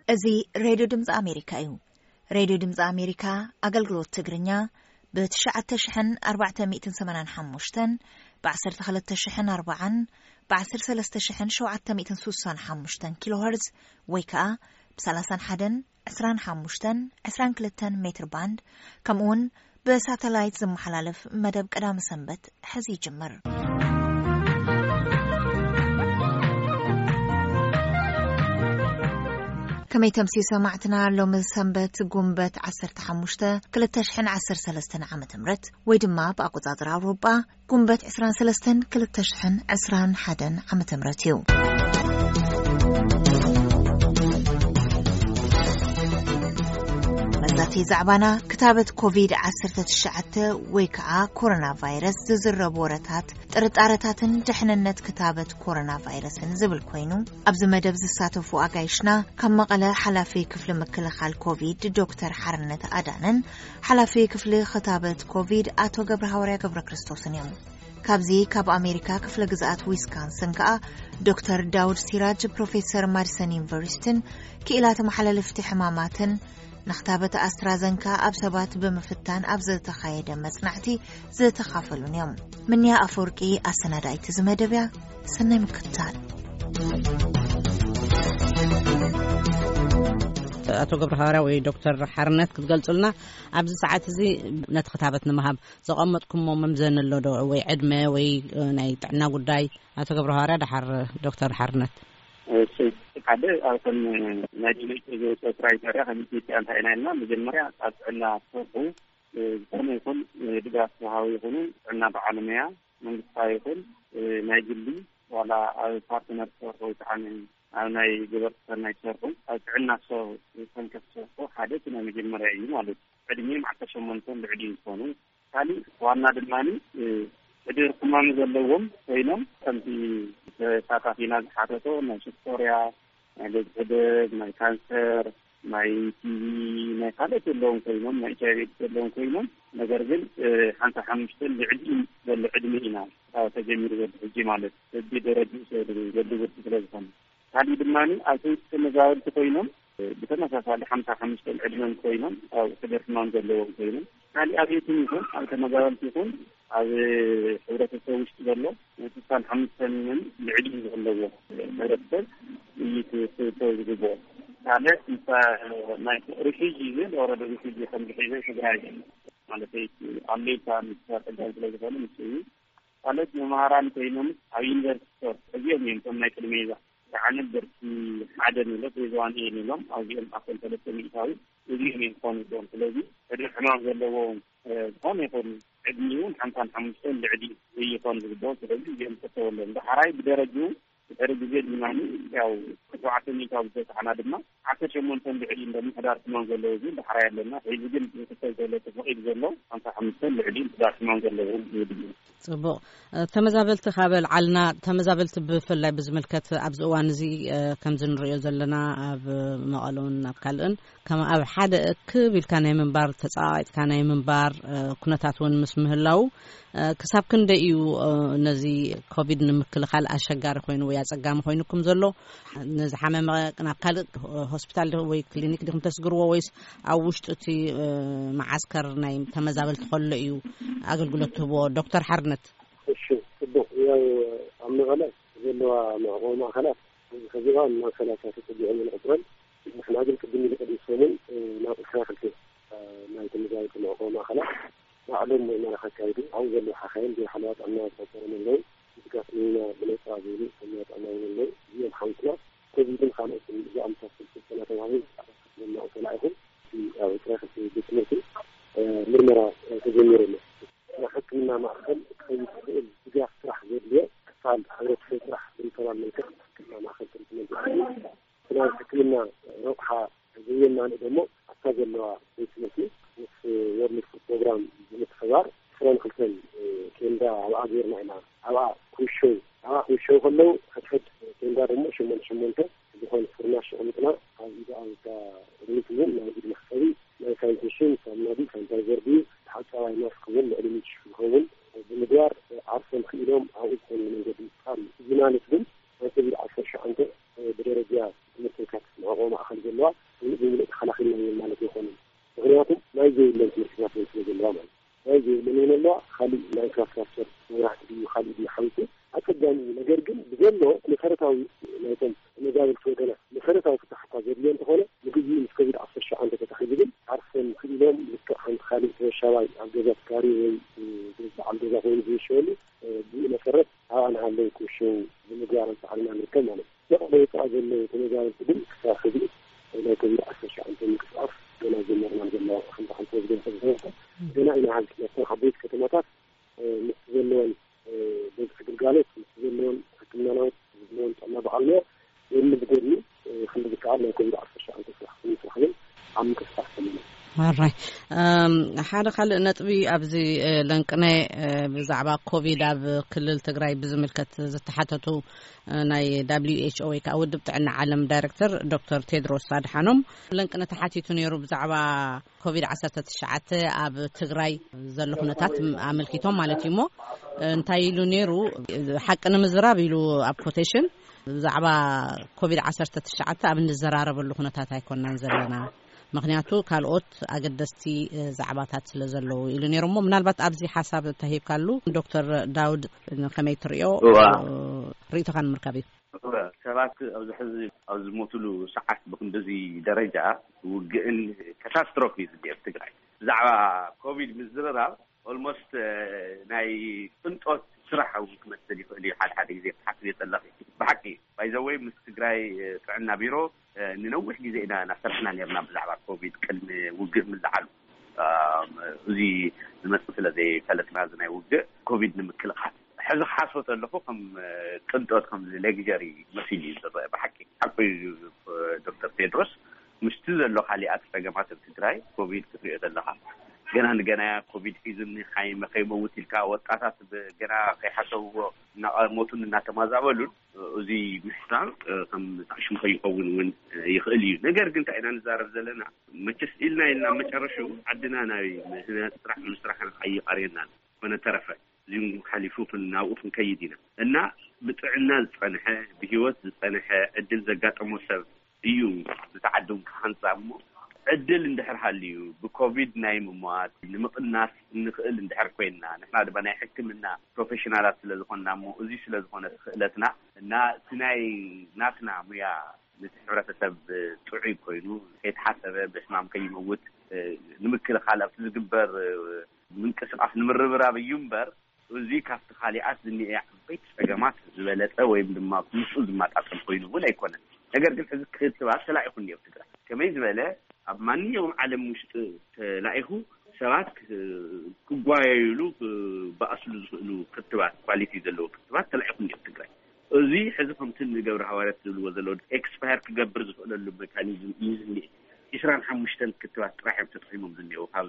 እዚ ሬድዮ ድምፂ ኣሜሪካ እዩ። ሬድዮ ድምፂ ኣሜሪካ ኣገልግሎት ትግርኛ ብ ትሽዓተ ሽሕን ኣርባዕተ ሚእትን ሰማንያን ሓሙሽተን፣ ብ ዓሰርተ ክልተ ሽሕን ኣርባዓን፣ ብ ዓሰርተ ሰለስተ ሽሕን ሸውዓተ ሚእትን ስሳን ሓሙሽተን ኪሎ ሄርዝ ወይ ከዓ ብ ሰላሳን ሓደን፣ ዕስራን ሓሙሽተን፣ ዕስራን ክልተን ሜትር ባንድ፣ ከምኡ እውን ብሳተላይት ዝመሓላለፍ መደብ ቀዳሚ ሰንበት ሕዚ ይጅምር። ከመይ ተምሲ ሰማዕትና፣ ሎሚ ሰንበት ጉንበት ዓሰርተ ሓሙሽተ ክልተ ሽሕን ዓሰርተ ሰለስተን ዓመተ ምህረት ወይ ድማ ብኣቆጻጽራ ኣውሮጳ ጉንበት ዕስራን ሰለስተን ክልተ ሽሕን ዕስራን ሓደን ዓመተ ምህረት እዩ። መዛተይ ዛዕባና ክታበት ኮቪድ ዓሰርተ ትሽዓተ ወይ ከዓ ኮሮና ቫይረስ ዝዝረቡ ወረታት፣ ጥርጣረታትን ድሕንነት ክታበት ኮሮና ቫይረስን ዝብል ኮይኑ፣ ኣብዚ መደብ ዝሳተፉ ኣጋይሽና ካብ መቐለ ሓላፊ ክፍሊ ምክልኻል ኮቪድ ዶክተር ሓርነት ኣዳነን ሓላፊ ክፍሊ ክታበት ኮቪድ ኣቶ ገብረ ሃዋርያ ገብረ ክርስቶስን እዮም። ካብዚ ካብ ኣሜሪካ ክፍለ ግዝኣት ዊስካንሰን ከኣ ዶክተር ዳውድ ሲራጅ ፕሮፌሰር ማዲሰን ዩኒቨርሲቲን ክኢላ ተመሓላለፍቲ ሕማማትን ንክታበት ኣስትራዘንካ ኣብ ሰባት ብምፍታን ኣብ ዝተኻየደ መጽናዕቲ ዝተኻፈሉን እዮም። ምንያ ኣፈወርቂ ኣሰናዳኢት እዚ መደብ እያ። ሰናይ ምክትታል። ኣቶ ገብረ ሃዋርያ ወይ ዶክተር ሓርነት ክትገልጹልና ኣብዚ ሰዓት እዚ ነቲ ክታበት ንምሃብ ዘቐመጥኩሞ መምዘኒ ኣሎ ዶ? ወይ ዕድመ ወይ፣ እ፣ ናይ ጥዕና ጉዳይ? ኣቶ ገብረ ሃዋርያ ደሓር ዶክተር ሓርነት። እሺ፣ ሓደ ኣብቶም ናይ ዲሌት ዝወሰድ ራይተርያ ከም ኢትዮጵያ እንታይ ኢና ኢልና፣ መጀመርያ ኣብ ጥዕና ትሰርሑ፣ እ፣ ዝኾነ ይኹን፣ እ፣ ድጋፍ ዝሃቡ ይኹኑ ጥዕና በዓል ሞያ መንግስታዊ ይኹን፣ እ፣ ናይ ግሊ ዋላ ኣብ ፓርትነር ትሰርሑ ወይ ከዓ ን-፣ ኣብ ናይ ገበርቲ ሰናይ ትሰርሑ ኣብ ጥዕና ትሰርሑ፣ ሰንከፍ ትሰርሑ ሓደ እቲ ናይ መጀመርያ እዩ ማለት እዩ። ዕድሜም ዓሰርተ ሸሞንተ ልዕሊ እንትኾኑ፣ ካሊእ ዋና ድማ፣ እ፣ ሕድር ሕማም ዘለዎም ኮይኖም ከምቲ ተሳታፊና ዝሓተቶ ናይ ሽኮርያ፣ ናይ ልብ ሕደግ፣ ናይ ካንሰር፣ ናይ ቲ ቪ፣ ናይ ካልኦት ዘለዎም ኮይኖም፣ ናይ ኤች ኣይ ቪ ኤድስ ዘለዎም ኮይኖም፣ ነገር ግን፣ እ፣ ሓምሳ ሓሙሽተ ልዕሊ ዘሎ ዕድመ ኢና፣ እ፣ ተጀሚሩ ዘሎ ሕጂ ማለት በቢ ደረጅኡ ሰብ ዘሎ ብርኪ ስለ ዝኾነ። ካሊእ ድማ ኣብ ትምህርቲ ተመዛበልቲ ኮይኖም፣ እ፣ ብተመሳሳሊ ሓምሳ ሓሙሽተ ዕድመን ኮይኖም ኣብ ሕደር ሕማም ዘለዎም ኮይኖም፣ ካሊእ ኣብ ቤትን ይኹን ኣብ ተመዛበልቲ ይኹን ኣብ ሕብረተሰብ ውሽጢ ዘሎ ስሳን ሓሙሽተን ልዕሊ ዘለዎ ሕብረተሰብ እዩ ክእቶ ዝግብኦ። ካልእ ምስ ናይ ሪፊጂ ግን ኦረዲ ሪፊጂ ከም ዝሒዘ ትግራይ ማለት ኣለይታ ምስ ጸገም ስለ ዝኾነ ምስ እዩ። ካልኦት መምሃራን ኮይኖም ኣብ ዩኒቨርሲቲ እዚኦም እዮም እቶም ናይ ቅድመ ይዛ። ከዓ ነበርቲ ሓደ ንብሎ ፌዝ ዋን ኤ ንብሎም ኣብዚኦም ኣኮን ሰለስተ ሚእታዊ እዚኦም እዮም ክኾኑ ይብሎም። ስለዚ ሕድር ሕማም ዘለዎም፣ እ፣ ዝኾነ ይኹን ዕድሚኡ ሓምሳን ሓሙሽተን ልዕሊ ይኾን ዝግብኦ። ስለዚ እዚኦም ክተወሎም። ዳሕራይ ብደረጅኡ ድሕሪ ግዜ ድማ ያው ሸውዓተ ሚእታዊ ዝተሳሕና ድማ ዓሰርተ ሸሞንተ ልዕሊ እንደሞ ሕዳር ሕማም ዘለዎ ግን ዳሕራይ ኣለና። ሕዚ ግን ዝክተል ዘሎ ተፈቒዱ ዘሎ ሓምሳ ሓሙሽተ ልዕሊ ሕዳር ሕማም ዘለዎ እዩ። ጽቡቕ። እ፣ ተመዛበልቲ ካብ ኣልዓልና፣ ተመዛበልቲ ብፍላይ ብዝምልከት ኣብዚ እዋን እዚ፣ እ፣ ከምዚ ንሪኦ ዘለና ኣብ መቐሎን ኣብ ካልእን ከም ኣብ ሓደ እክብ ኢልካ ናይ ምንባር፣ ተጻቒጥካ ናይ ምንባር፣ እ፣ ኩነታት እውን ምስ ምህላው፣ እ፣ ክሳብ ክንደይ እዩ፣ እ፣ ነዚ ኮቪድ ንምክልኻል ኣሸጋሪ ኮይኑ ወይ ኣጸጋሚ ኮይኑኩም ዘሎ? ንዝሓመመ ናብ ካልእ ሆስፒታል ዲ-፣ ወይ ክሊኒክ ዲኹም ተስግርዎ ወይስ ኣብ ውሽጢ እቲ፣ እ፣ መዓስከር ናይ ተመዛበልቲ ከሎ እዩ ኣገልግሎት ትህብዎ? ዶክተር ሓርነት። እሺ፣ ጽቡቕ። ያው ኣብ መቐለ ዘለዋ መዕቆቢ ማእከላት ሕዚ እዋን ማእከላት ተጸጊዐን ንቑጽረን። ንሕና ግን ቅድም ኢሉ ቅድሚ ሰሙን፣ እ፣ ናብ ዕስራ ክልተ፣ እ፣ ናይ ተመዛበልቲ መዕቆቢ ማእከላት ባዕሎም ምርመራ ከካይዱ ኣብኡ ዘለዉ ሓኻይም ብሓለዋ ጥዕና ተቖጸሮም ኣለዉ። ድጋፍ ንህና ብነጻ ዝህቡ ሓለዋ ጥዕና እውን ኣለዉ። እዚኦም ሓዊስና ኮቪድን ካልኦትን ዝኣምሳሰሉ ስልጠና ተዋሂቡ ክትመልኡ ተላኢኹም። እቲ ኣብ ዕስራ ክልተ ቤት ትምህርቲ፣ እ፣ ምርመራ፣ እ፣ ተጀሚሩ ኣሎ። ናብ ሕክምና ማእከል ክኸይድ ዝኽእል ድጋፍ ስራሕ ዘድልዮ ክፋል ሕብረተሰብ ስራሕ ብሪፈራል መልክዕ ሕክምና ማእከል ትሪትመንት ይኣቱ። እቲ ናይ ሕክምና ረብሓ ዘየማልእ ደሞ ኣብታ ዘለዋ ቤት ትምህርቲ ምስ ወርልድ ፉድ ፕሮግራም ብምትሕብባር ዕስራን ክልተን ቴንዳ ኣብኣ ገይርና ኢና። ኣብኣ ኩሾ፣ ኣብኣ ኩሾ ከለዉ ሕድሕድ ቴንዳ ደሞ ሸሞንተ ሸሞንተ ዝኾነ ፍርናሽ ኣቐሚጥና ኣብ ኢድ ኣብታ ቅድሚት እውን ናይ ኢድ መሕጸቢ ናይ ሳኒቴሽን ሳሙና ድዩ ሳኒታይዘር ድዩ ተሓጻባይ ማስክ እውን ልዕሊ ሚእቲ ሽሕ ዝኸውን ብምግባር ዓርሶም ክኢሎም ኣብኡ ዝኾኑ መንገዲ ምፍጣር እዩ። እዚ ማለት ግን ናይ ኮቪድ ዓሰርተ ሸውዓተ ብደረጃ ትምህርቲ የካትት መዕቆቢ ማእከል ዘለዋ ሰብኣይ ኣብ ገዛ ተካሪ ወይ በዓል ገዛ ኮይኑ ዝሸሉ፣ ብኡ መሰረት ኣብኣ ንሃለዉ ክሸው ብምግባር ኣንጻዕርና ንርከብ ማለት እዩ። መቐለ ወፃእ ዘለዉ ተመዛበልቲ ግን ክሳብ ሕዚ ናይ ኮቪድ ዓሰርተ ሸዓተ ምንቅስቃስ ገና ጀመርና ዘለዋ ከምታ ከምተ ዝገለጸ ዝነበርኩ ገና ኢና ሃልቲ ነቶም ዓበይቲ ከተማታት ምስ ዘለወን በዝሒ ግልጋሎት ምስ ዘለወን ሕክምና ናውት ዘለወን ጥዕና ብዓልሞ የምዝገድኒ ክንዲ ዝከኣል ናይ ኮቪድ ዓሰርተ ሸዓተ ስራሕ ክንስራሕ ግን ኣብ ምንቅስቃስ ዘለና። ኣራይ ሓደ ካልእ ነጥቢ ኣብዚ ለንቅነ ብዛዕባ ኮቪድ ኣብ ክልል ትግራይ ብዝምልከት ዝተሓተቱ ናይ ደብሊው ኤች ኦ ወይ ከዓ ውድብ ጥዕና ዓለም ዳይሬክተር ዶክተር ቴድሮስ ኣድሓኖም ለንቅነ ተሓቲቱ ነይሩ ብዛዕባ ኮቪድ ዓሰርተ ትሽዓተ ኣብ ትግራይ ዘሎ ኩነታት ኣመልኪቶም ማለት እዩ። እሞ እንታይ ኢሉ ነይሩ? ሓቂ ንምዝራብ ኢሉ ኣብ ኮቴሽን ብዛዕባ ኮቪድ ዓሰርተ ትሽዓተ ኣብ እንዘራረበሉ ኩነታት ኣይኮናን ዘለና፣ ምክንያቱ ካልኦት ኣገደስቲ ዛዕባታት ስለ ዘለዉ ኢሉ ነይሩ። እሞ ምናልባት ኣብዚ ሓሳብ ተሂብካሉ ዶክተር ዳውድ ከመይ ትሪኦ? ርእይቶኻ ንምርካብ እዩ። ሰባት ኣብዚ ሕዚ ኣብ ዝሞትሉ ሰዓት ብክንድዚ ደረጃ ውግእን ካታስትሮፊ እዩ ዝኒኤ ኣብ ትግራይ። ብዛዕባ ኮቪድ ምዝርራብ ኦልሞስት ናይ ቅንጦት ስራሕ እውን ክመስል ይኽእል እዩ። ሓደ ሓደ ግዜ ክትሓስብ የፀለኽ ብሓቂ ባይዘወይ ምስ ትግራይ ጥዕና ቢሮ ንነዊሕ ግዜ ኢና እናሰርሕና ነርና ብዛዕባ ኮቪድ ቅድሚ ውግእ ምልዓሉ። እዚ ዝመፅእ ስለ ዘይፈለጥና እዚ ናይ ውግእ ኮቪድ ንምክልኻል ሕዚ ክሓስቦ ዘለኹ ከም ቅንጦት ከም ሌግጀሪ መሲሉ እዩ ዝረአ። ብሓቂ ሓቁ እዩ። ዶክተር ቴድሮስ ምስቲ ዘሎ ካሊኣት ፀገማት ኣብ ትግራይ ኮቪድ ክትሪኦ ዘለካ ገና ንገናያ ኮቪድ ሒዙኒ ሓይመ ከይመውት ኢልካ ወጣታት ገና ከይሓሰብዎ እናቐሞቱን እናተማዛበሉን እዚ ምሕሳብ ከም ጣዕሽም ከይኸውን እውን ይኽእል እዩ። ነገር ግን እንታይ ኢና ንዛረብ ዘለና መቸስ ኢልና ኢልና መጨረሽኡ ዓድና ናይ ምህናፅ ስራሕ ምስራሕ ኣይቐርየናን ኮነ ተረፈ እዚም ሓሊፉ ናብኡ ክንከይድ ኢና እና ብጥዕና ዝፀንሐ ብሂወት ዝፀንሐ ዕድል ዘጋጠሞ ሰብ እዩ ንተዓድም ክሃንፃ እሞ ዕድል እንድሕር ሃልዩ ብኮቪድ ናይ ምሟት ንምቕናስ እንኽእል እንድሕር ኮይንና ንሕና ድማ ናይ ሕክምና ፕሮፌሽናላት ስለ ዝኾንና እሞ እዚ ስለ ዝኾነ ክእለትና እና እቲ ናይ ናትና ሙያ ነቲ ሕብረተሰብ ጥዑይ ኮይኑ ከይተሓሰበ ብሕማም ከይመውት ንምክልኻል ኣብቲ ዝግበር ምንቅስቃስ ንምርብራብ እዩ እምበር እዚ ካብቲ ካሊኣት ዝኒኤ ዓበይቲ ፀገማት ዝበለፀ ወይም ድማ ምስኡ ዝመጣጠል ኮይኑ እውን ኣይኮነን። ነገር ግን ሕዚ ክትባት ተላኢኹ እኒኦ ኣብ ትግራይ ከመይ ዝበለ ኣብ ማንኛውም ዓለም ውሽጢ ተላኢኹ ሰባት ክጓየዩሉ ክበኣስሉ ዝኽእሉ ክትባት ኳሊቲ ዘለዎ ክትባት ተላኢኹ እኒኦ ኣብ ትግራይ። እዚ ሕዚ ከምቲ ንገብረ ሃዋርያት ዝብልዎ ዘለዉ ኤክስፓየር ክገብር ዝኽእለሉ ሜካኒዝም እዩ ዝኒኤ። ዕስራን ሓሙሽተን ክትባት ጥራሕ እዮም ተጠቒሞም ዝኒኤው ካብ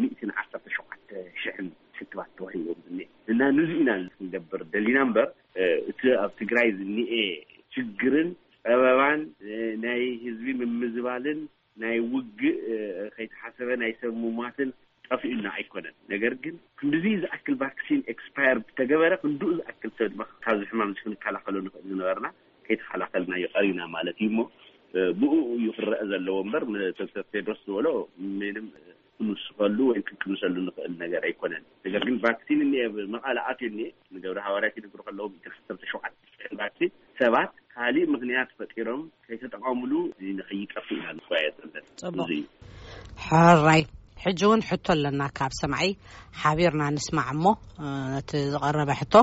ሚእትን ዓሰርተ ሸውዓተ ሽሕን ክትባት ተዋሂቦም ዝኒኤ እና ንዚ ኢና ክንገብር ደሊና እምበር እቲ ኣብ ትግራይ ዝኒኤ ችግርን ፀበባን ናይ ህዝቢ ምምዝባልን ናይ ውግእ ከይተሓሰበ ናይ ሰብ ምሟትን ጠፊኡና ኣይኮነን። ነገር ግን ክንድዚ ዝኣክል ቫክሲን ኤክስፓየር ብተገበረ ክንድኡ ዝኣክል ሰብ ድማ ካብዚ ሕማም እዚ ክንከላኸሎ ንኽእል ዝነበርና ከይተኸላኸልናዮ ቀሪና ማለት እዩ እሞ ብኡ እዩ ክረአ ዘለዎ እምበር ዶክተር ቴድሮስ ዝበሎ ምንም ክንውስኸሉ ወይ ክንቅንሰሉ ንኽእል ነገር ኣይኮነን። ነገር ግን ቫክሲን እኒኤ መቐለ ኣትዩ እኒኤ ንገብረ ሃዋርያት ይነግሩ ከለዎም ኢትሓሰብ ተሸውዓተ ቫክሲን ሰባት ካሊእ ምኽንያት ፈጢሮም ከይተጠቐሙሉ ንኸይጠፍእ ኢና ንጓየ ዘለና። ጽቡቕ። እዚ እዩ። ሕራይ ሕጂ እውን ሕቶ ኣለና ካብ ሰማዒ ሓቢርና ንስማዕ እሞ ነቲ ዝቐረበ ሕቶ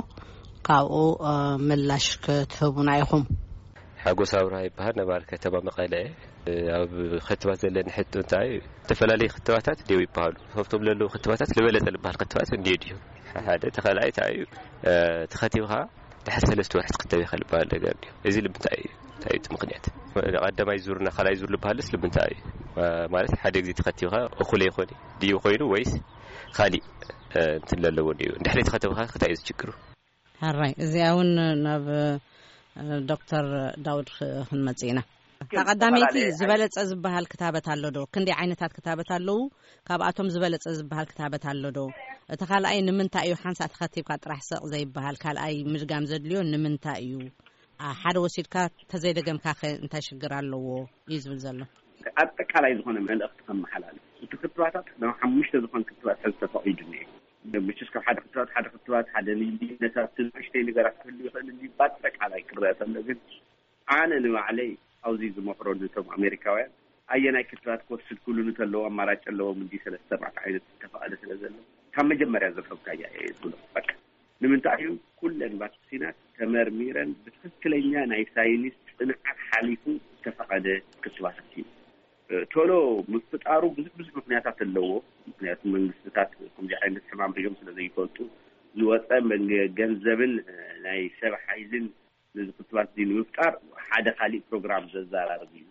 ካብኡ ምላሽ ክትህቡና ኢኹም። ሓጎስ ኣብርሃ ይበሃል። ነባሪ ከተማ መቐለ እየ። ኣብ ክትባት ዘለኒ ሕቶ እንታይ እዩ? ዝተፈላለዩ ክትባታት ደው ይበሃሉ። ካብቶም ዘለዉ ክትባታት ዝበለጸ ዝበሃል ክትባት እንድየ ድዩ? ሓደ ተኸላይ እንታይ እዩ? ተኸቲብኻ ድሕሪ ሰለስተ ወርሒ ትኽተብ ኢኻ ዝበሃል ነገር ድዩ? እዚ ንምንታይ እዩ? እንታይ እዩ እቲ ምኽንያት? ቀዳማይ ዙር እና ካልኣይ ዙር ዝበሃልስ ንምንታይ እዩ? ማለት ሓደ ግዜ ተኸቲብኻ እኹል ኣይኾነ ድዩ ኮይኑ ወይስ ካሊእ እንትን ለለዎ ድዩ? እንድሕሪ ተኸተብኻ እንታይ እዩ ዝችግሩ? ሕራይ እዚኣ እውን ናብ ዶክተር ዳውድ ክንመጽእ ኢና። እታ ቀዳመይቲ ዝበለጸ ዝበሃል ክታበት ኣሎ ዶ? ክንደይ ዓይነታት ክታበት ኣለዉ? ካብኣቶም ዝበለጸ ዝበሃል ክታበት ኣሎ ዶ? እቲ ካልኣይ ንምንታይ እዩ ሓንሳእ ተኸቲብካ ጥራሕ ሰቕ ዘይበሃል? ካልኣይ ምድጋም ዘድልዮ ንምንታይ እዩ? ሓደ ወሲድካ ተዘይደገምካ ከ እንታይ ሽግር ኣለዎ እዩ ዝብል ዘሎ። ኣጠቃላይ ዝኾነ መልእኽቲ ከመሓላልፍ እቲ ክትባታት ናብ ሓሙሽተ ዝኾን ክትባት ሕዚ ተፈቒዱ እኒኤ። መቸስ ካብ ሓደ ክትባት ሓደ ክትባት ሓደ ልዩነታት ንእሽተይ ነገራት ክህሉ ይኽእል እንጂ በኣጠቃላይ ክረአ ከሎ ግን ኣነ ንባዕለይ ኣብዚ ዝመኽሮ ነቶም ኣሜሪካውያን ኣየናይ ክትባት ክወስድ ክሉ እንተለዎ ኣማራጭ ኣለዎም እንዲ ሰለስተ ኣርባዕተ ዓይነት ዝተፈቐደ ስለ ዘሎ ካብ መጀመርያ ዘርፈብካያ እየ ዝብሎ። በቃ ንምንታይ እዩ ኩለን ቫክሲናት ተመርሚረን ብትክክለኛ ናይ ሳይንስ ጽንዓት ሓሊፉ ዝተፈቐደ ክትባታት እዩ። ቶሎ ምፍጣሩ ብዙሕ ብዙሕ ምክንያታት ኣለዎ። ምክንያቱ መንግስትታት ከምዚ ዓይነት ሕማም ሪኦም ስለ ዘይፈልጡ ዝወፀ መንገ- ገንዘብን ናይ ሰብ ሓይልን ነዚ ክትባት እዚ ንምፍጣር ሓደ ካሊእ ፕሮግራም ዘዘራርብ እዩ።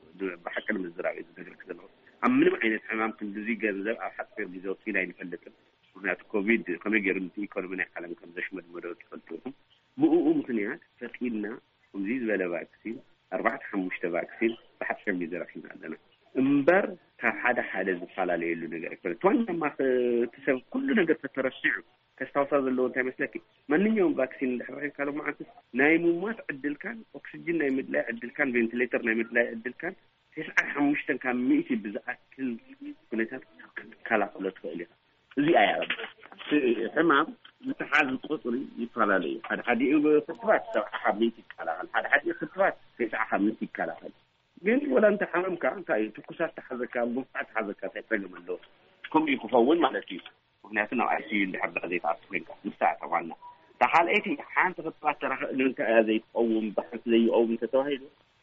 ብሓቂ ንምዝራብ እዩ ዝነግረክ ዘለኹ። ኣብ ምንም ዓይነት ሕማም ክንድዚ ገንዘብ ኣብ ሓፂር ግዜ ወፂና ኣይንፈልጥን። ምክንያቱ ኮቪድ ከመይ ገይሩ ነቲ ኢኮኖሚ ናይ ዓለም ከም ዘሽመድመዶ ትፈልጡ ኢኹም። ብእኡ ምክንያት ፈጢንና ከምዚ ዝበለ ቫክሲን ኣርባዕተ ሓሙሽተ ቫክሲን ብሓፂር ግዜ ረኪብና ኣለና እምበር ካብ ሓደ ሓደ ዝፈላለየሉ ነገር ኣይኮነ። ዋናማ እቲ ሰብ ኩሉ ነገር ተተረሲዑ ከስታውሳ ዘለዎ እንታይ መስለኪ? ማንኛውም ቫክሲን እንድሕር ረኺብካ ሎም መዓልትስ ናይ ምሟት ዕድልካን ኦክስጅን ናይ ምድላይ ዕድልካን ቬንቲሌተር ናይ ምድላይ ዕድልካን ተስዓን ሓሙሽተን ካብ ሚእቲ ብዝኣክል ኩነታት ክትከላኸሎ ትኽእል ኢኻ። እዚኣ እያ እቲ ሕማም ምትሓዝ ቁፅሪ ይፈላለዩ። ሓደ ሓዲኡ ክትባት ሰብዓ ካብ ሚእቲ ይከላኸል፣ ሓደ ሓዲኡ ክትባት ተስዓ ካብ ሚእቲ ይከላኸል። ግን ወላ እንተ ሓመምካ እንታይ እዩ ትኩሳት ተሓዘካ፣ ጉንፋዕ ተሓዘካ እንታይ ፀገም ኣለዎ? ከምኡ እዩ ክኸውን ማለት እዩ። ምክንያቱ ናብ ኣይ ሲ ዩ እንድሕር ዳ ዘይትኣቱ ኮይንካ ምስታ እታ ዋና እታ ካልኣይቲ ሓንቲ ክትባት ተራኸ ንምንታይ እያ ዘይትቀውም ብሓንቲ ዘይቀውም እንተተባሂሉ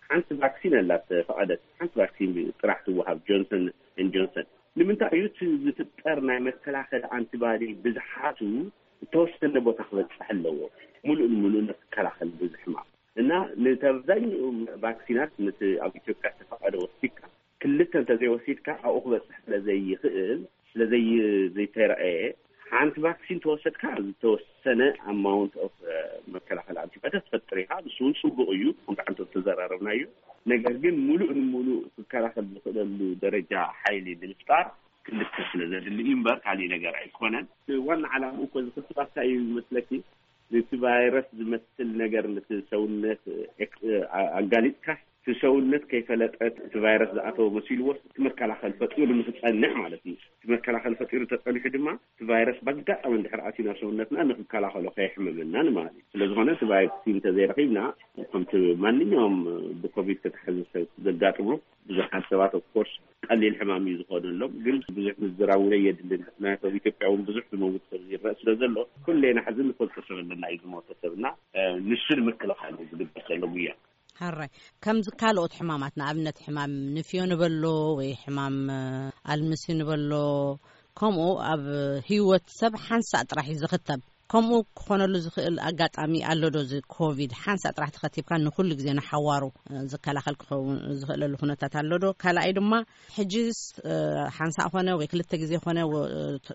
ሓንቲ ቫክሲን ኣላት ፈቐደት ሓንቲ ቫክሲን ጥራሕ ትወሃብ ጆንሰን ን ጆንሰን። ንምንታይ እዩ እቲ ዝፍጠር ናይ መከላኸሊ ኣንቲባዲ ብዝሓቱ እተወሰነ ቦታ ክበፅሕ ኣለዎ። ሙሉእ ንሙሉእ ንክከላኸል ብዙሕ ሕማም እና ንተብዛኛኡ ቫክሲናት ነቲ ኣብ ኢትዮጵያ ዝተፈቐደ ወሲድካ ክልተ እንተዘይወሲድካ ኣብኡ ክበፅሕ ስለዘይኽእል ስለዘይ ዘይተረኣየ ሓንቲ ቫክሲን ተወሰድካ ዝተወሰነ ኣማውንት ኦፍ መከላኸል ኣንቲባዲ ትፈጥር ኢኻ። ንሱ እውን ፅቡቅ እዩ። ከምቲ ዓንቶ ዝተዘራረብናዮ ነገር ግን ሙሉእ ንሙሉእ ክከላኸል ዝኽእለሉ ደረጃ ሓይሊ ንምፍጣር ክልተ ስለ ዘድሊ እዩ እምበር ካሊእ ነገር ኣይኮነን። ዋና ዓላምኡ እኮ እዚ ክትባት እንታይ እዩ ይመስለኪ? ነቲ ቫይረስ ዝመስል ነገር ነቲ ሰውነት ኣጋሊጥካ እቲ ሰውነት ከይፈለጠ እቲ ቫይረስ ዝኣተወ መሲልዎ እቲ መከላኸል ፈጢሩ ንክፀንዕ ማለት እዩ። እቲ መከላኸል ፈጢሩ ተፀኒሑ ድማ እቲ ቫይረስ በጋጣሚ እንድሕር ኣትዩ ናብ ሰውነትና ንክከላኸሎ ከየሕምመና ንማለት እዩ። ስለዝኾነ እቲ ቫክሲን እንተዘይረኺብና ከምቲ ማንኛውም ብኮቪድ ተተሓዘ ሰብ ዘጋጥሞ ብዙሓት ሰባት ኦፍኮርስ ቀሊል ሕማም እዩ ዝኾነሎም። ግን ብዙሕ ምዝራብ እውን የድልን። ምክንያቱ ኣብ ኢትዮጵያ እውን ብዙሕ ዝመውት ሰብ ይረአ ስለ ዘሎ ኩሌና ሕዚ ንፈልጦ ሰብ ኣለና እዩ ዝሞተ ሰብና ንሱ ንምክልኻል እዩ ዝግበር ዘሎ ጉያ። ሕራይ ከምዚ ካልኦት ሕማማት ንኣብነት ሕማም ንፍዮ ንበሎ ወይ ሕማም ኣልምሲ ንበሎ ከምኡ ኣብ ህይወት ሰብ ሓንሳእ ጥራሕ እዩ ዝኽተብ። ከምኡ ክኾነሉ ዝኽእል ኣጋጣሚ ኣሎ ዶ? እዚ ኮቪድ ሓንሳእ ጥራሕ ተኸቲብካ ንኹሉ ግዜ ንሓዋሩ ዝከላኸል ክኸውን ዝኽእለሉ ኩነታት ኣሎ ዶ? ካልኣይ ድማ ሕጂስ ሓንሳእ ኾነ ወይ ክልተ ግዜ ኾነ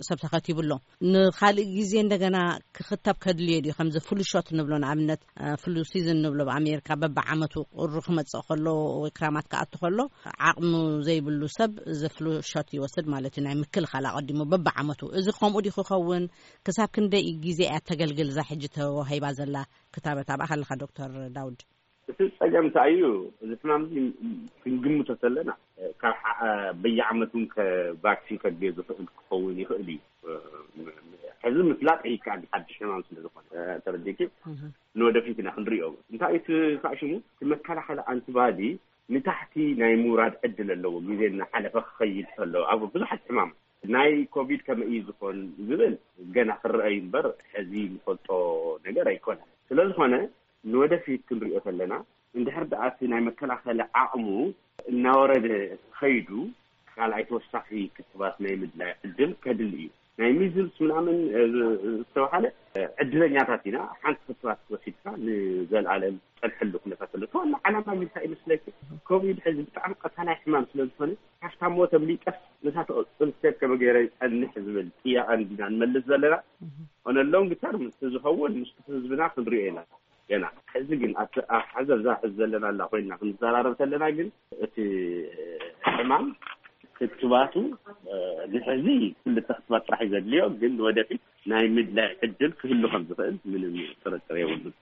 ሰብ ተኸቲቡ ኣሎ። ንኻልእ ግዜ እንደገና ክኽተብ ከድልዮ ድዩ? ከምዚ ፍሉ ሾት ንብሎ ንኣብነት ፍሉ ሲዝን ንብሎ ኣብ ኣሜሪካ በብዓመቱ ቁሪ ክመፅእ ከሎ ወይ ክራማት ክኣቱ ከሎ ዓቕሙ ዘይብሉ ሰብ እዚ ፍሉ ሾት ይወስድ ማለት እዩ። ናይ ምክልኻል ኣቐዲሙ በብዓመቱ እዚ ከምኡ ድዩ ክኸውን? ክሳብ ክንደይ ግዜ እያ ተገልግል እዛ ሕጂ ተዋሂባ ዘላ ክታበት? ኣብኣ ከለኻ ዶክተር ዳውድ። እቲ ፀገም እንታይ እዩ? እዚ ሕማም እዚ ክንግምቶ ተለና ካብ በየዓመት እውን ቫክሲን ከድልዮ ዝኽእል ክኸውን ይኽእል እዩ። ሕዚ ምፍላጥ ይከኣል ሓድሽ ሕማም ስለ ዝኾነ ተረዲእኪ ንወደፊት ኢና ክንሪኦ። እንታይ እቲ ካሽሙ እቲ መከላኸሊ ኣንቲባዲ ንታሕቲ ናይ ምውራድ ዕድል ኣለዎ። ግዜ እናሓለፈ ክኸይድ ከሎ ኣብ ብዙሓት ሕማም ናይ ኮቪድ ከመይ እዩ ዝኾን ዝብል ገና ክረአ እዩ እምበር ሕዚ ንፈልጦ ነገር ኣይኮነን። ስለዝኾነ ንወደፊት ክንሪኦ ከለና እንድሕር ደኣ እቲ ናይ መከላኸሊ ዓቕሙ እናወረደ ከይዱ ካልኣይ ተወሳኺ ክትባት ናይ ምድላይ ዕድል ከድሊ እዩ። ናይ ሚዝልስ ምናምን ዝተባሃለ ዕድለኛታት ኢና። ሓንቲ ክትባት ወሲድካ ንዘለኣለም ፀንሐሉ ኩነታት ኣሎ። ዋና ዓላማ እንታይ ይመስለኪ? ኮቪድ ሕዚ ብጣዕሚ ቀታላይ ሕማም ስለዝኾነ ካብታ ሞት ኣምሊጠስ ነታ ተቐፅል ሰብ ከመ ገይረ ይፀንሕ ዝብል ጥያቐ እንዲና ንመልስ ዘለና። ኦነሎም ግተር ምስ ዝኸውን ምስ ህዝብና ክንሪኦ ኢና። ገና ሕዚ ግን ኣብቲ ኣብ ሓዘብ ዛሕዝ ዘለና ኣላ ኮይና ክንዘራረብ ከለና ግን እቲ ሕማም ክትባቱ ንሕዚ ክልተ ክትባት ጥራሕ እዩ ዘድልዮ። ግን ወደፊት ናይ ምድላይ ዕድል ክህሉ ከም ዝኽእል ምንም ጥርጥር የብሉን።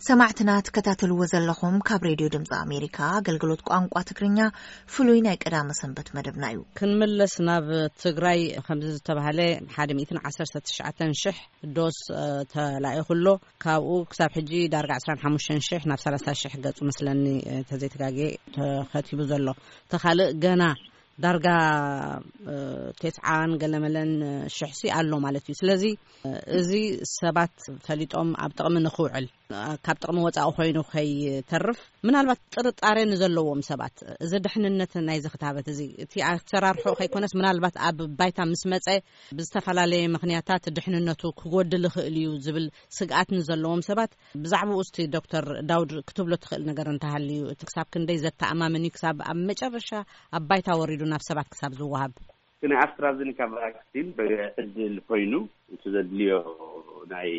ሰማዕትና ትከታተልዎ ዘለኹም ካብ ሬድዮ ድምፂ ኣሜሪካ ኣገልግሎት ቋንቋ ትግርኛ ፍሉይ ናይ ቀዳመ ሰንበት መደብና እዩ። ክንምለስ ናብ ትግራይ። ከምዚ ዝተባህለ ሓደ ሚእትን ዓሰርተ ትሽዓተን ሽሕ ዶስ ተላኢኹ ኣሎ። ካብኡ ክሳብ ሕጂ ዳርጋ ዕስራን ሓሙሽተን ሽሕ ናብ ሰላሳ ሽሕ ገፁ መስለኒ ተዘይተጋጌ ተኸቲቡ ዘሎ። ተኻልእ ገና ዳርጋ፣ እ፣ ተስዓን ገለመለን ሽሕሲ ኣሎ ማለት እዩ። ስለዚ፣ እ፣ እዚ ሰባት ፈሊጦም ኣብ ጥቕሚ ንኽውዕል፣ እ፣ ካብ ጥቕሚ ወጻኢ ኮይኑ ከይተርፍ፣ ምናልባት ጥርጣሬ ንዘለዎም ሰባት፣ እዚ ድሕንነት ናይዚ ክታበት እዚ፣ እቲ ኣሰራርሖ ከይኮነስ፣ ምናልባት ኣብ ባይታ ምስ መጸ ብዝተፈላለየ ምኽንያታት ድሕንነቱ ክጎድል ይኽእል እዩ ዝብል ስግኣት ንዘለዎም ሰባት፣ ብዛዕባኡ እስቲ ዶክተር ዳውድ ክትብሎ ትኽእል ነገር እንተሃልዩ፣ እቲ ክሳብ ክንደይ ዘተኣማምን እዩ፣ ክሳብ ኣብ መጨረሻ ኣብ ባይታ ወሪዱ ናብ ሰባት ክሳብ ዝወሃብ? እቲ ናይ ኣስትራዘኒካ ቫክሲን ብዕድል ኮይኑ፣ እቲ ዘድልዮ ናይ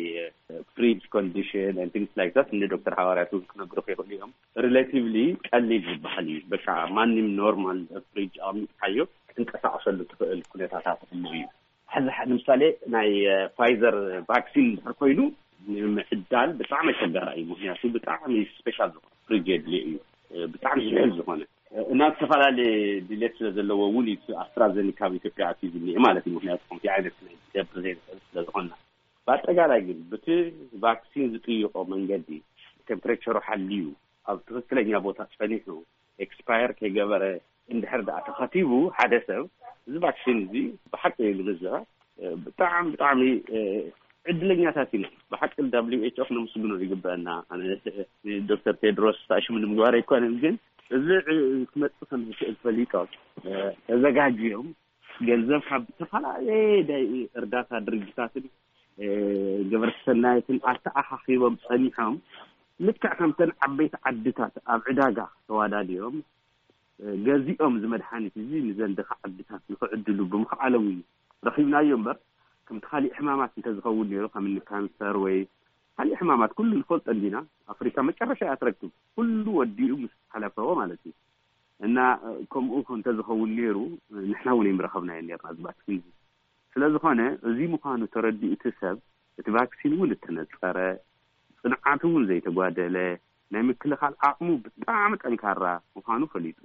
ፍሪጅ ኮንዲሽን and things like that፣ እንደ ዶክተር ሃዋርያት እውን ክነግሩኽ ይኽእሉ እዮም። ሪሌቲቭሊ ቀሊል ዝበሃል እዩ። በቃ ማንም ኖርማል ፍሪጅ ኣቕሚጥካዮ ክትንቀሳቐሰሉ ትኽእል ኩነታታት ኣሎ እዩ። ሕዚ ሕ-፣ ንምሳሌ ናይ፣ እ፣ ፋይዘር ቫክሲን እንድሕር ኮይኑ ንምዕዳል ብጣዕሚ ኣሸጋራይ እዩ። ምኽንያቱ ብጣዕሚ ስፔሻል ዝኾነ ፍሪጅ የድልዮ እዩ። እ፣ ብጣዕሚ ዝሕል ዝኾነ፣ እ፣ እና ዝተፈላለየ ድሌት ስለ ዘለዎ እውን እዩ እቲ ኣስትራዘኒካ ኣብ ኢትዮጵያ ኣትዩ ዝኒኤ ማለት እዩ። ምኽንያቱ ከምቲ ዓይነት ክገብር ዘይንኽእል ስለ ዝኾንና። ብኣጠቃላይ ግን ብቲ ቫክሲን ዝጥይቆ መንገዲ ቴምፕሬቸሩ ሓልዩ ኣብ ትኽክለኛ ቦታ ጸኒሑ ኤክስፓየር ከይገበረ እንድሕር ደኣ ተኸቲቡ ሓደ ሰብ፣ እዚ ቫክሲን እዚ ብሓቂ ንምዝራብ፣ እ፣ ብጣዕሚ፣ ብጣዕሚ፣ እ፣ ዕድለኛታት ኢና። ብሓቂ ደብሊው ኤች ኦ ክነመስግኖ ይግበአና። ኣነ ዶክተር ቴድሮስ ታሽሙ ንምግባር ኣይኮነን፣ ግን እዚ ዕ-፣ ክመጽእ ከም ዝኽእል ፈሊጦም፣ እ፣ ተዘጋጅዮም ገንዘብ ካብ ዝተፈላለየ ዳይ-፣ እርዳታ ድርጅታትን፣ እ፣ ገበርቲ ሰናይትን ኣተኣኻኺቦም ጸኒሖም፣ ልክዕ ከምተን ዓበይቲ ዓድታት ኣብ ዕዳጋ ተዋዳድዮም፣ እ፣ ገዚኦም እዚ መድሓኒት እዚ ንዘን ድኻ ዓድታት ንኽዕድሉ ብምኽኣሎም እዩ ረኺብናዮ እምበር፣ ከምቲ ካሊእ ሕማማት እንተዝኸውን ነይሩ፣ ከም እኒ ካንሰር ወይ ካሊእ ሕማማት ኩሉ ንፈልጦ እንዲና፣ ኣፍሪካ መጨረሻ እያ ትረክብ። ኩሉ ወዲኡ ምስ ሓለፈዎ ማለት እዩ። እና፣ እ፣ ከምኡ እንተዝኸውን ነይሩ፣ እ፣ ንሕና እውን ኣይምረኸብናዮ ነይርና እዚ ቫክሲን እዚ። ስለ ዝኾነ፣ እዚ ምዃኑ ተረዲኡ እቲ ሰብ፣ እቲ ቫክሲን እውን እተነጸረ፣ ጽንዓቱ እውን ዘይተጓደለ፣ ናይ ምክልኻል ዓቕሙ ብጣዕሚ ጠንካራ ምዃኑ ፈሊጡ፣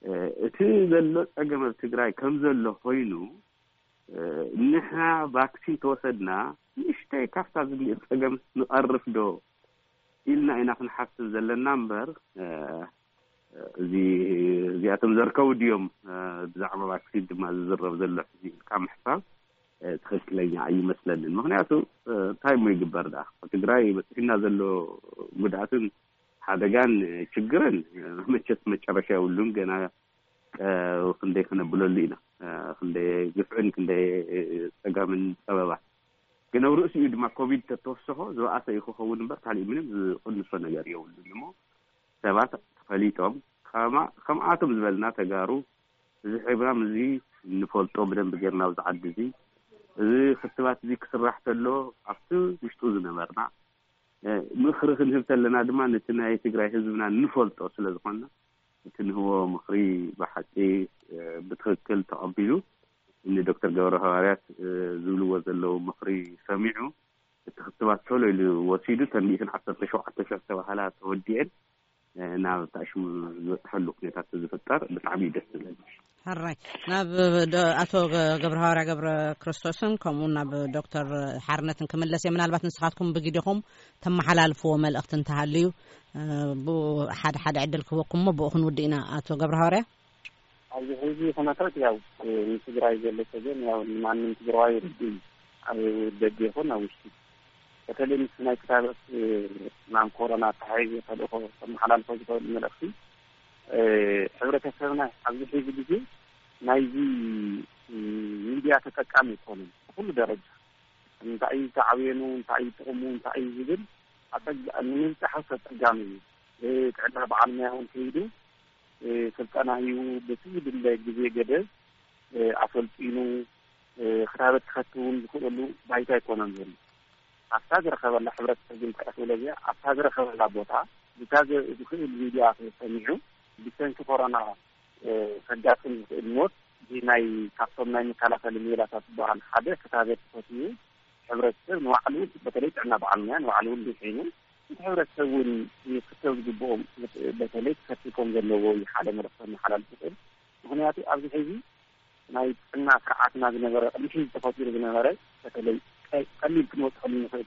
እ፣ እቲ ዘሎ ጸገም ኣብ ትግራይ ከም ዘሎ ኮይኑ፣ እ፣ ንሕና ቫክሲን ተወሰድና፣ ንእሽተይ ካብታ ዝኒኦ ጸገም ንቐርፍ ዶ ኢልና ኢና ክንሓስብ ዘለና እምበር፣ እ፣ እዚ፣ እዚኣቶም ዘርከቡ ድዮም፣ እ፣ ብዛዕባ ቫክሲን ድማ ዝዝረብ ዘሎ ሕዚ ኢልካ ምሕሳብ፣ እ፣ ትኽክለኛ ኣይመስለንን። ምኽንያቱ፣ እ፣ እንታይ እሞ ይግበር ደኣ? ኣብ ትግራይ በፂሕና ዘሎ ጉድኣትን ሓደጋን፣ እ፣ ችግርን፣ እ፣ መቸስ መጨረሻ የብሉን። ገና፣ እ፣ ክንደይ ክነብለሉ ኢና፣ እ፣ ክንደይ ግፍዕን ክንደይ፣ እ፣ ፀጋምን ፀበባን። ግን ኣብ ርእሲኡ ድማ ኮቪድ ተተወሰኾ ዝበኣሰ እዩ ክኸውን እምበር፣ ካሊእ ምንም ዝቕንሶ ነገር የብሉን እሞ፣ ሰባት ተፈሊጦም፣ ከማ-፣ ከምኣቶም ዝበልና ተጋሩ፣ እዚ ሕማም እዚ እንፈልጦ ብደንብ ጌርና ኣብዚ ዓዲ እዚ፣ እዚ ክትባት እዚ ክስራሕ ተሎ፣ ኣብቲ ውሽጡ ዝነበርና፣ እ፣ ምኽሪ ክንህብ ተለና ድማ ነቲ ናይ ትግራይ ህዝብና ንፈልጦ ስለ ዝኾንና፣ እቲ ንህቦ ምኽሪ ብሓቂ፣ እ፣ ብትኽክል ተቐቢሉ፣ እኒ ዶክተር ገብረ ሃዋርያት፣ እ፣ ዝብልዎ ዘለዉ ምኽሪ ሰሚዑ፣ እቲ ክትባት ቶሎ ኢሉ ወሲዱ፣ እተን ሚእትን ዓሰርተ ሸውዓተ ሽሕ ዝተባህላ ተወዲአን፣ እ፣ ናብ ታሽሙ ዝበፅሐሉ ኩነታት ዝፍጠር ብጣዕሚ እዩ ደስ ዝብል። ሕራይ፣ ናብ ዶ-፣ ኣቶ ገ-፣ ገብረ ሃዋርያ ገብረ ክርስቶስን ከምኡ ናብ ዶክተር ሓርነትን ክምለስ እየ። ምናልባት ንስኻትኩም ብግዲኹም ተመሓላልፍዎ መልእኽቲ እንተሃልዩ፣ እ፣ ብኡ ሓደ ሓደ ዕድል ክህበኩም እሞ ብኡ ክንውድእ ኢና። ኣቶ ገብረ ሃዋርያ። ኣብዚ ሕዚ ኩነታት ያው፣ እ፣ ንትግራይ ዘሎ ጸገም ያው ንማንም ትግራዋይ ርዱእ እዩ። ኣብ ደገ ይኹን ኣብ ውሽጢ። በተለይ ምስ ናይ ክታበት፣ እ፣ ሕማም ኮሮና ተሓሒዙ ተልእኾ ከመሓላልፎ ዝኽእል መልእኽቲ፣ እ፣ ሕብረተሰብና ኣብዚ ሕዚ ግዜ ናይዚ፣ እ፣ ሚድያ ተጠቃሚ ኣይኮነን። ብኩሉ ደረጃ እንታይ እዩ ተዓብየኑ፣ እንታይ እዩ ጥቕሙ፣ እንታይ እዩ ዝብል ኣጸጋ-፣ ንምብጻሕ ኣጸጋሚ እዩ። እ፣ ጥዕና በዓል ሞያ እውን ከይዱ፣ እ፣ ስልጠና ሂቡ በቲ ዝድለ ግዜ ገደብ፣ እ፣ ኣሰልጢኑ፣ እ፣ ክታበት ክኸትብ እውን ዝኽእለሉ ባይታ ኣይኮነን ዘሎ። ኣብታ ዝረኸበላ፣ ሕብረተሰብ ግን እንታይ ክብሎ እዚኣ፣ ኣብታ ዝረኸበላ ቦታ፣ ብታ ዘ-፣ ዝኽእል ሚድያ ሰሚዑ፣ ብሰንኪ ኮሮና፣ እ፣ ከጋጥም ዝኽእል ሞት፣ እዚ ናይ፣ ካብቶም ናይ መከላኸሊ ሜላታት ዝበሃል ሓደ ክታበት ተኸቲቡ፣ ሕብረተሰብ ንባዕሉ፣ በተለይ ጥዕና በዓል ሞያ ንባዕሉ እውን ድሒኑ፣ እቲ ሕብረተሰብ እውን ክክተብ ዝግብኦም፣ በተለይ ክከትብ ከም ዘለዎ እዩ ሓደ መልእኽቲ ከመሓላልፍ ዝኽእል። ምኽንያቱ ኣብዚ ሕዚ ናይ ጥዕና ስርዓትና ዝነበረ፣ ቅድሚ ሕዚ ተፈጢሩ ዝነበረ፣ በተለይ ቀ-፣ ቀሊል ክንወስደሉ ንኽእል፣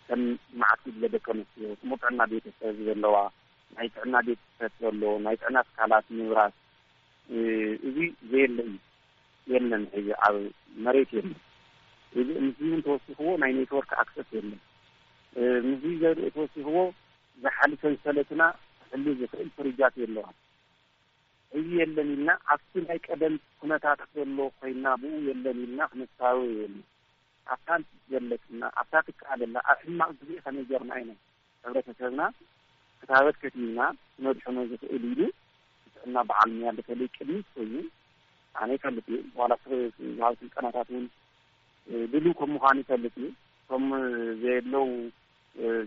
ከም መዓት ጉጅለ ደቂ ኣንስትዮ፣ ጽሙር ጥዕና ቤተሰብ ዘለዋ፣ ናይ ጥዕና ቤት ጽሕፈት ዘሎ፣ ናይ ጥዕና ትካላት ምብራስ፣ እዚ ዘየለ እዩ። የለን፣ ሕዚ ኣብ መሬት የለን። እዚ ምስዚ እውን ተወሲኽዎ ናይ ኔትወርክ ኣክሰስ የለን። ምስዚ ዘርኢ ተወሲኽዎ ዝሓሊ ሰንሰለትና ክሕሉ ዝኽእል ፍርጃት የለዋን። እዚ የለን ኢልና ኣብቲ ናይ ቀደም ኩነታት ዘሎ ኮይና ብኡ የለን ኢልና ክንሳወ የለን። ኣብታ ዘለትና ኣብታ ትከኣለላ ኣብ ሕማቕ ግዜ ከመይ ጌርና ኢና ሕብረተሰብና ክታበት ከቲብና ክነድሕኖ ዝኽእል ኢሉ ጥዕና በዓል ሙያ በተለይ ቅድሚት ኮይኑ ኣነ ይፈልጥ እዩ። ዋላ ዝሃብ ስልጠናታት እውን ድልው ከም ምዃኑ ይፈልጥ እዩ። እቶም ዘየለው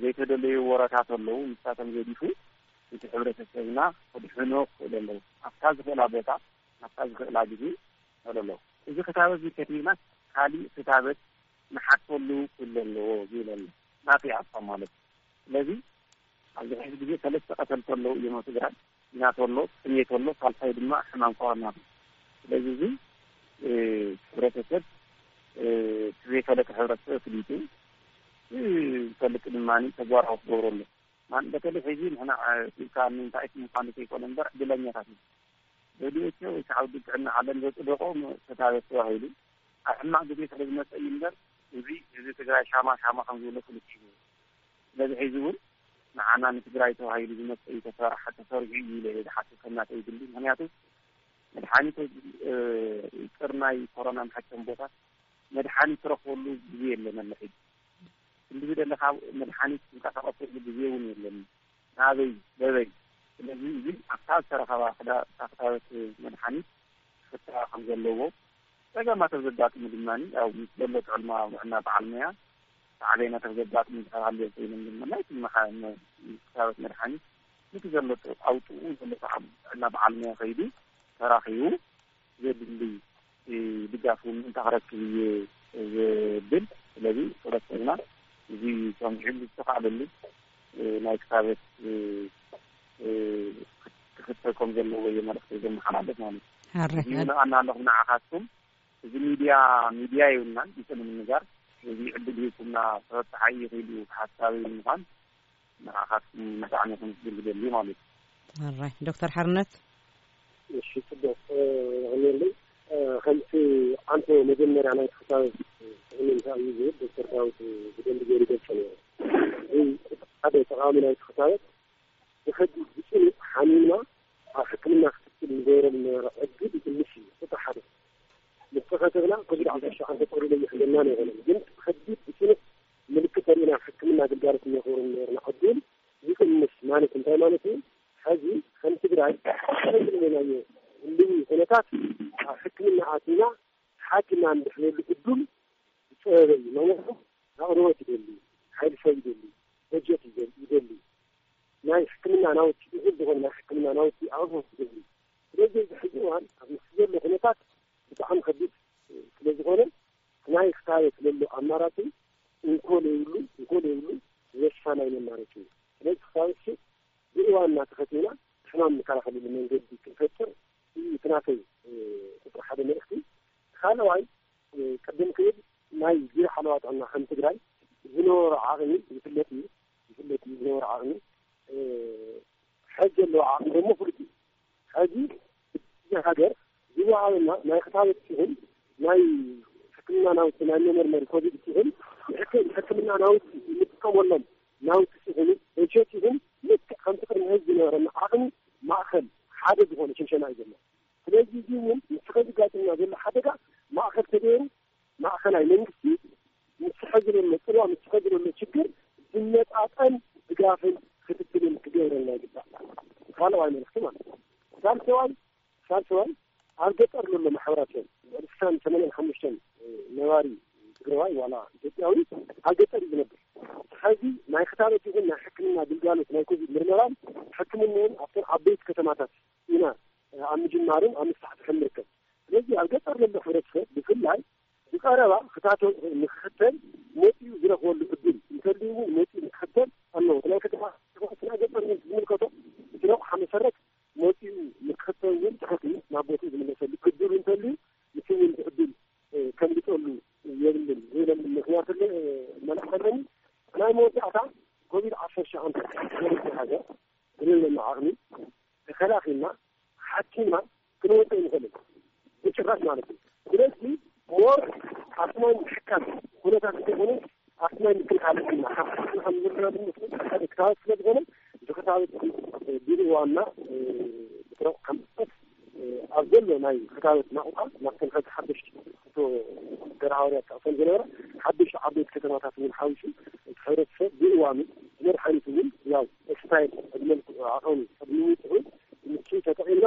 ዘይተደለዩ ወረታት ኣለዉ። ንሳቶም ገዲፉ እቲ ሕብረተሰብና ክድሕኖ ክኽእል ኣለዉ። ኣብታ ዝኽእላ ቦታ ኣብታ ዝኽእላ ግዜ ኣለዉ። እዚ ክታበት ዝከቲብና ካሊእ ክታበት ንሓተሉ ክህሉ ኣለዎ ዝብል ኣሎ ናተይ ሓሳብ ማለት እዩ። ስለዚ ኣብዚ ሕዚ ግዜ ሰለስተ ቀተልቲ ኣለዉ እዮም ኣብ ትግራይ። ኲናት ኣሎ፣ ጥሜት ኣሎ፣ ሳልሳይ ድማ ሕማም ኮሮና ኣሎ። ስለዚ እዚ ሕብረተሰብ እቲ ዘይፈለጠ ሕብረተሰብ ፍሊጡ ዝፈልጥ ድማ ተግባራዊ ክገብረሉ ማን በተለይ ሕዚ ንሕና ኢልካ እንታይ ምዃኑ ዘይኮነ እምበር ዕድለኛታት እዩ። ደብሊውኤችኦ ወይ ከዓ ውድብ ጥዕና ዓለም ዘፅደቆ ተታበት ተባሂሉ ኣብ ሕማቕ ግዜ ስለ ዝመፀ እዩ እምበር እዚ ህዝቢ ትግራይ ሻማ ሻማ ከም ዝብሎ ፍሉጥ እዩ። ስለዚ ሕዚ እውን ንዓና ንትግራይ ተባሂሉ ዝመፀ እዩ ተሰራሐ ተሰሪሑ እዩ ኢለ እየ ዝሓስብ ከም ናተይ ግሊ። ምክንያቱ መድሓኒት ይቅር ናይ ኮሮና መሐከም ቦታ መድሓኒት ትረኽበሉ ግዜ የለን ኣሎ ሕጂ። ክንዲ ዝደለኻ መድሓኒት ዝንቀሳቐሰሉ ግዜ እውን የለን። ናበይ በበይ? ስለዚ እዚ ኣብታ ዝተረኸባ ክታበት መድሓኒት ክፍታ ከም ዘለዎ ጸገማት ኣብ ዘጋጥሙ ድማ ኣብ ምስ ዘሎ ጥዕና ጥዕና በዓል ሞያ ሳዕቤናት ኣብ ዘጋጥሙ እንተሃልዮ ኮይኖም ድማ ናይ ክታበት መድሓኒት ነቲ ዘሎ ኣውጥኡ ዘሎ ጥዕና በዓል ሞያ ከይዱ ተራኺቡ ዘድሊ ድጋፍ እውን ምእንታ ክረክብ እየ ዝብል። ስለዚ ሕብረተሰብና እዚ ከም ዝሕሉ ዝተኻእለሉ ናይ ክታበት ክኽተል ከም ዘለዎ እየ መልእኽቲ ዘመሓላልፍ ማለት እዩ። ሕራይ። እዚ ይብለኣና ኣለኹ ንዓኻትኩም። እዚ ሚድያ ሚድያ ይብልና ይጽን ምንጋር እዚ ዕድል ሂብኩምና ተበጻሓይ ይኽእል እዩ ሓሳብ ምዃን ንዓኻትኩም ብጣዕሚ ክምስግን ዝደሊ ማለት እዩ። ሕራይ ዶክተር ሓርነት። እሺ ጽቡቕ። የቐንየለይ። ከምቲ ኣንቶ መጀመርያ ናይ ክሳብ ስእሊ እንታይ እዩ ዝብል ዶክተር ዳዊት ብደንብ ገይሩ ይገልጾ ነይሩ። እዚ ሓደ ጠቓሚ ናይ ክሳበት ብኸቢድ ብጽኑዕ ሓሚምና ኣብ ሕክምና ክትትል ንገብረሉ ዝነበረ ዕድል ይቕንስ እዩ። እቲ ሓደ ምስ ተኸተብና ኮቪድ ዓሰርተ ሸውዓተ ጠቕሊሉ ኣይሕለናን ኣይኾነን፣ ግን ብኸቢድ ብጽኑዕ ምልክት ተሪእና ኣብ ሕክምና ግልጋሎት እንረኽበሉ ዝነበርና ዕድል ይቕንስ ማለት እንታይ ማለት እዩ? ሕዚ ከም ትግራይ ከምዝለናዮ ህልዊ ኩነታት ኣብ ሕክምና ኣቲና ሓኪምና እንድሕነሉ ዕድል ዝፀበበ እዩ። ምክንያቱ ኣቕርቦት ይደሊ፣ ሓይሊ ሰብ ይደሊ፣ በጀት ይደሊ፣ ይደሊ። ናይ ሕክምና ናውቲ እኹል ዝኾነ ናይ ሕክምና ናውቲ ኣቕርቦት ይደሊ። ስለዚ እዚ ሕዚ እዋን ኣብ ምስ ዘሎ ኩነታት ብጣዕሚ ከቢድ ስለ ዝኾነ ናይ ክታበት ለሎ ኣማራፂ እንኮ ለይብሉ እንኮ ለይብሉ ወሳናይ መማረፂ እዩ። ስለዚ ክታበት ሲ ብእዋን እናተኸቲና ሕማም እንከላኸለሉ መንገዲ ክንፈጥር እዩ እቲ ናተይ ቁፅሪ ሓደ መልእኽቲ። ካልኣዋይ ቅድም ክብል ናይ ቢሮ ሓለዋ ጥዕና ከም ትግራይ ዝነበሮ ዓቕሚ ይፍለጥ እዩ፣ ይፍለጥ እዩ ዝነበሮ ዓቕሚ። ሕዚ ዘለዎ ዓቕሚ ደግሞ ፍሉጥ እዩ። ሕዚ እዚ ሃገር ዝወሃበና ናይ ክታበት ይኹን ናይ ሕክምና ናውቲ ናይ መመርመሪ ኮቪድ ይኹን ንሕክ- ንሕክምና ናውቲ እንጥቀመሎም ናውቲ ይኹኑ በጀት ይኹን ልክዕ ከምቲ ቅድሚ ሕዚ ዝነበረና ዓቕሚ ማእኸል ሓደ ዝኾነ ሽንሸና እዩ ዘሎ። ስለዚ እዚ እውን ምስቲ ከዚ ጋጥምና ዘሎ ሓደጋ ማእኸል ተገይሩ ማእኸላይ መንግስቲ ምስቲ ሕዚ ዘሎ ፅልዋ ምስቲ ሕዚ ዘሎ ችግር ዝመጣጠን ድጋፍን ክትትልን ክገብረልና ይግባእ። ካልኣዋይ መልእኽቲ ማለት እዩ። ሳልሰዋይ ሳልሰዋይ ኣብ ገጠር ዘሎ ማሕበረሰብ ልዕሊ ስሳን ሰማንያን ሓሙሽተን ነባሪ ትግራዋይ ዋላ ኢትዮጵያዊ ኣብ ገጠር እዩ ዝነብር። ሕዚ ናይ ክታበት ይኹን ናይ ሕክምና ግልጋሎት ናይ ኮቪድ ምርመራን ሕክምናን ኣብተን ዓበይቲ ከተማታት ኢና ኣብ ምጅማርን ኣብ ምስፋሕፋሕን ንርከብ። ስለዚ ኣብ ገጠር ዘሎ ሕብረተሰብ ብፍላይ ብቀረባ ክታተል ንክኽተል መፂኡ ዝረኽበሉ ዕድል እንተልዩ እውን መፂኡ ንክኽተል ኣለዎ። ናይ ከተማ ናይ ገጠር እውን ዝምልከቶ እቲ ረቑሓ መሰረት መፂኡ ንክኽተል እውን ትሑት እዩ። ናብ ቦትኡ ዝምለሰሉ ዕድል እንተልዩ እቲ እውን ዕድል ከምልጠሉ የብልን ዝብለሉ ምክንያት ኣለ- መልእኽቲ ኣለኒ። ናይ መወዳእታ ኮቪድ ዓሰርተ ሸውዓተ ሃገር ዝለለና ዓቕሚ ተከላኺልና ሓኪምና ክንወፅእ ራስ ማለት እዩ። ስለዚህ ሞር ኣስማይ ምሕካም ኩነታት እንተኾነ ኣስማይ ምክልኻል ኣለና። ካብ ሓደጋ ከም ዝረከብ ንፍለጥ ሓደ ክታበት ስለ ዝኾነ፣ እዚ ክታበት እዚ ብእዋንና ብጥረቕ ዓመታት ኣብ ዘሎ ናይ ክታበት ናቑጣ ናብተን ሓንቲ ሓደሽቲ እቶ ገርሃወርያ ተጠቕሰን ዝነበራ ሓደሽቲ ዓበይቲ ከተማታት እውን ሓዊሱ፣ እቲ ሕብረተሰብ ብእዋኑ ብመድሓኒት እውን ያው ኤክስፓየር ቅድመ ዓቐኑ ቅድሚ ምውፅኡ ምቹ ተጠቒምና፣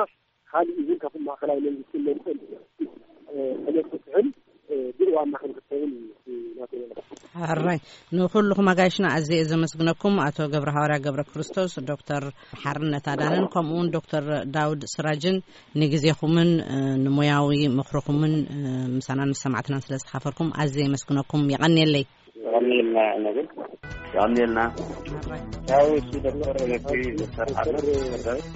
ካልእ እውን ካብቶም ማእኸላይ መንግስቲ መምፅእ ዕለት ፍትሕን ብእዋንና ክንክተብን እዩ ናተይ መልእኽቲ። ሕራይ፣ ንኹልኹም ኣጋይሽና ኣዝየ እየ ዘመስግነኩም። ኣቶ ገብረ ሃዋርያ ገብረ ክርስቶስ፣ ዶክተር ሓርነት ኣዳነን ከምኡ እውን ዶክተር ዳውድ ስራጅን ንግዜኹምን ንሞያዊ ምኽርኹምን ምሳናን ምስ ሰማዕትናን ስለ ዝተኻፈልኩም ኣዝየ የመስግነኩም። የቐንየለይ። የቐንየልና ነብል። የቐንየልና። ሕራይ። ያው እሱ ዶክተር ነቲ ዶክተር ሓርነት ዶክተር ዳውድ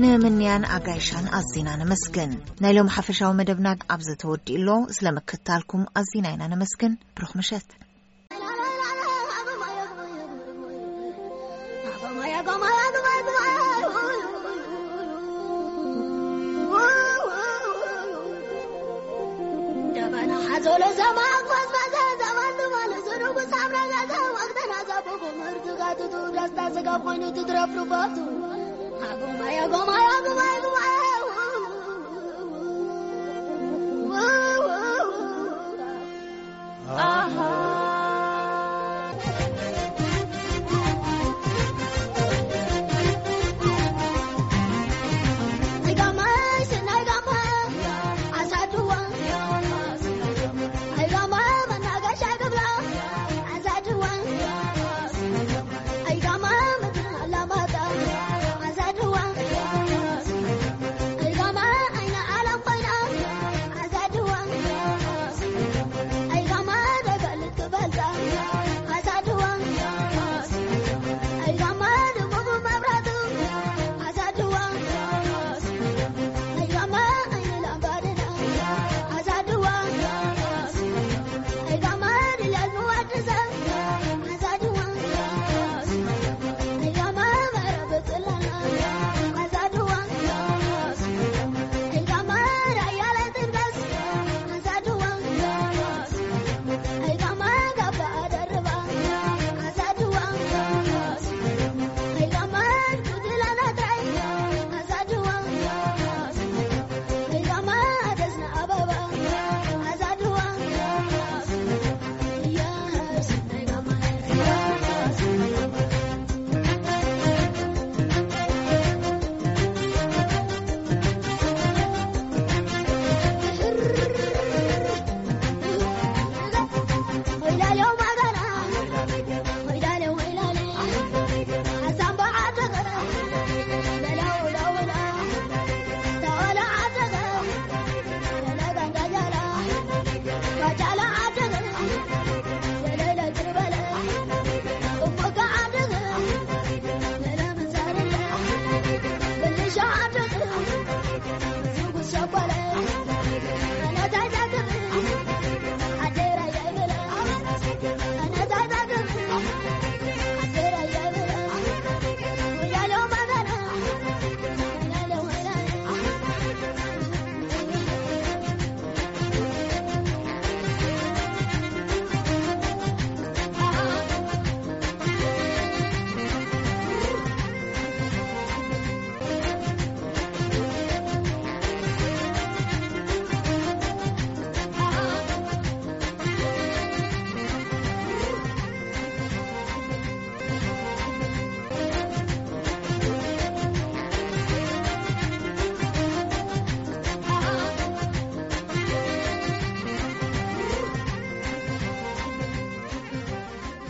ንምንያን ኣጋይሻን ኣዚና ነመስግን። ናይ ሎም ሓፈሻዊ መደብና ኣብዚ ተወዲኡ ኣሎ። ስለ ምክትታልኩም ኣዚና ኢና ነመስግን። ብሩኽ ምሸት።